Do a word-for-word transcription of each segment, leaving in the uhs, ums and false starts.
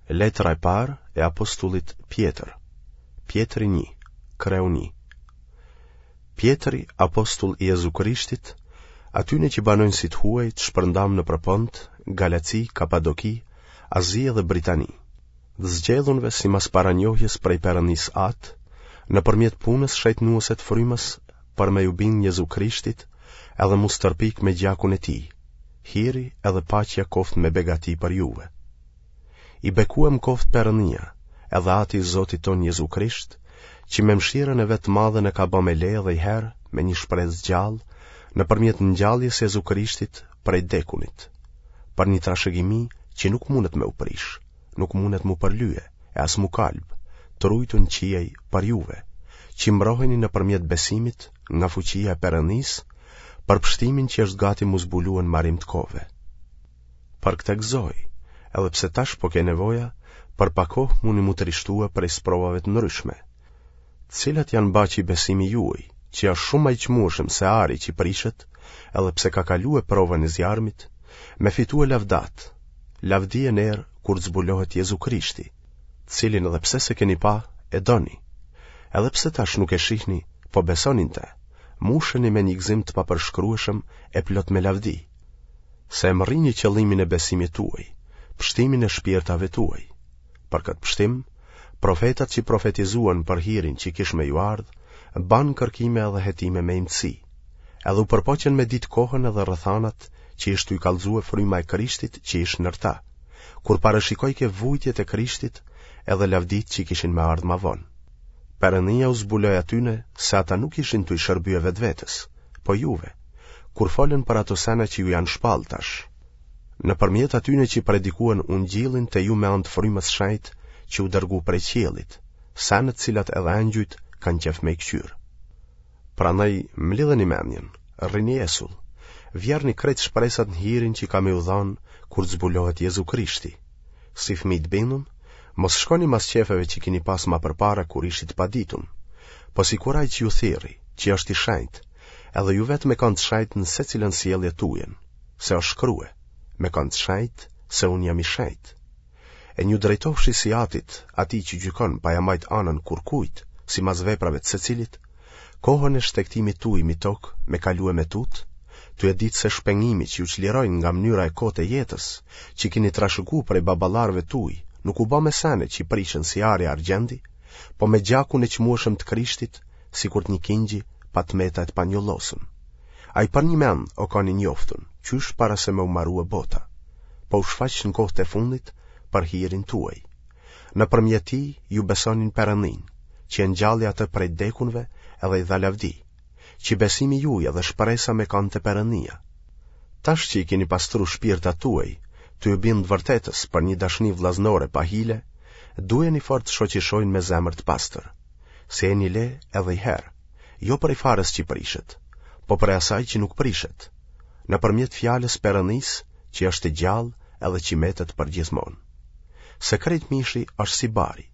Letra e parë e apostullit Pjetër. Pjetri një, kreu një. Pjetri, apostull i Jezu Krishtit, atyne që banojnë si të huaj të shpërndamë nëpër Pont, Galaci, Kapadoki, Azi dhe Britani, të zgjedhunve simas paranjohjes prej Perëndisë Atë, nëpërmjet punës shejtnuese të frymës për me ju bind Jezu Krishtit edhe m'u stërpik me gjakun e tij, hiri edhe paqja koftë me begati për juve. I bekuem koftë Perëndia, edhe Ati i Zotit tonë Jezu Krisht, që me mëshirën e vet të madhe na ka ba me le edhe i herë me një shpresë gjallë, nëpërmjet ngjalljes Jezu Krishtit prej dekunit, për një trashëgimi që nuk mundet me u prish, nuk mundet m'u përlye e as m'u kalb, të rujtun në qiej për juve, që mbroheni nëpërmjet besimit nga fuqia e Perëndisë, për pështimin që është gati m'u zbulue në marim të kohëve. Për këtë gëzohi, edhe pse tash po ke nevoja, për pak kohë muni m'u trishtue prej sprovave të ndryshme, të cilat janë ba që besimi juaj, që është shumë ma i çmueshëm se ari që prishet, edhe pse ka kalue provën e zjarmit, me fitue lavdat, lavdi e ner kur të zbulohet Jezu Krishti, të cilin edhe pse s'e keni pa, e doni. Edhe pse tash nuk e shihni, po besoni në te, musheni me një gëzim të papërshkrueshëm e plot me lavdi, se e mërrini qëllimin e besimit tuaj, pështimin e shpirtave tuaj. Për këtë pështim, profetat që profetizuan për hirin që kish me ju ardhë, banë kërkime edhe hetime me imtësi, edhe u përpoqën me ditë kohën edhe rrethanat që ish tuj kallzue fryma e Krishtit që ish nër ta, kur parashikojke vujtjet e Krishtit edhe lavditë që kishin me ardhë ma vonë. Perëndia u zbuloi atyne se ata nuk ishin tuj shërbye vetvetes, po juve, kur folën për ato sene që ju janë shpallë tash. Nëpërmjet atyne që predikuan ungjillin te ju me anë të frymës shenjtë që u dërgu prej qiellit, sene të cilat edhe engjujt kanë qef me i këqyrë. Prandaj mlidheni mendjen, rrini esull, vjerrni krejt shpresat në hirin që ka me ju dhanë kur të zbulohet Jezu Krishti. Si fëmijë të bindun, mos shkoni mas qefeve që kini pas ma përpara kur ishit të paditun, po sikur ai që ju thirri, që është i shenjtë, edhe ju vetë me kanë të shenjtë në secilën sjellje tujën, se është shkrue, me kanë të shenjtë, se unë jam i shenjtë. E nju drejtofshi si atit, atij që gjykon pa ja majt anën kurkujt, simas veprave të secilit, kohën e shtegtimit tuj mi tokë me kalue me tutë, tu e ditë se shpengimi që ju çliroi nga mënyra e kotë e jetës, që kini trashëgu prej baballarëve tuj, nuk u ba me sene që prishen si ari e argjendi, po me gjakun e çmueshëm të Krishtit, sikur të një kingji pa të meta e të panjollosën. Ai përnjëmend o kanë i njoftun, qysh para se me u marue bota, po u shfaq në kohët e fundit për hirin tuaj. Nëpërmjet tij ju besoni në Perëndinë, që e ngjalli atë prej dekunve edhe i dha lavdi, që besimi juaj edhe shpresa me kanë te Perëndia. Tash që i keni pastru shpirtat tuaj, tu ju bind vërtetës për një dashni vllaznore pa hile, dujeni fort të shoqishojnë me zemër të pastër, se jeni le edhe i herë, jo prej farës që prishet, po prej asaj që nuk prishet, nëpërmjet fjalës Perëndisë që është e gjallë edhe që metet përgjithmonë. Se krejt mishi është si bari,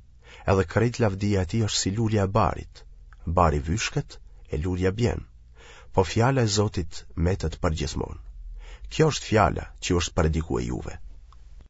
edhe krejt lavdia e tij është si lulja e barit, bari vyshket e lulja bjen, po fjala e Zotit metet përgjithmonë. Kjo është fjala që ju është predikue juve.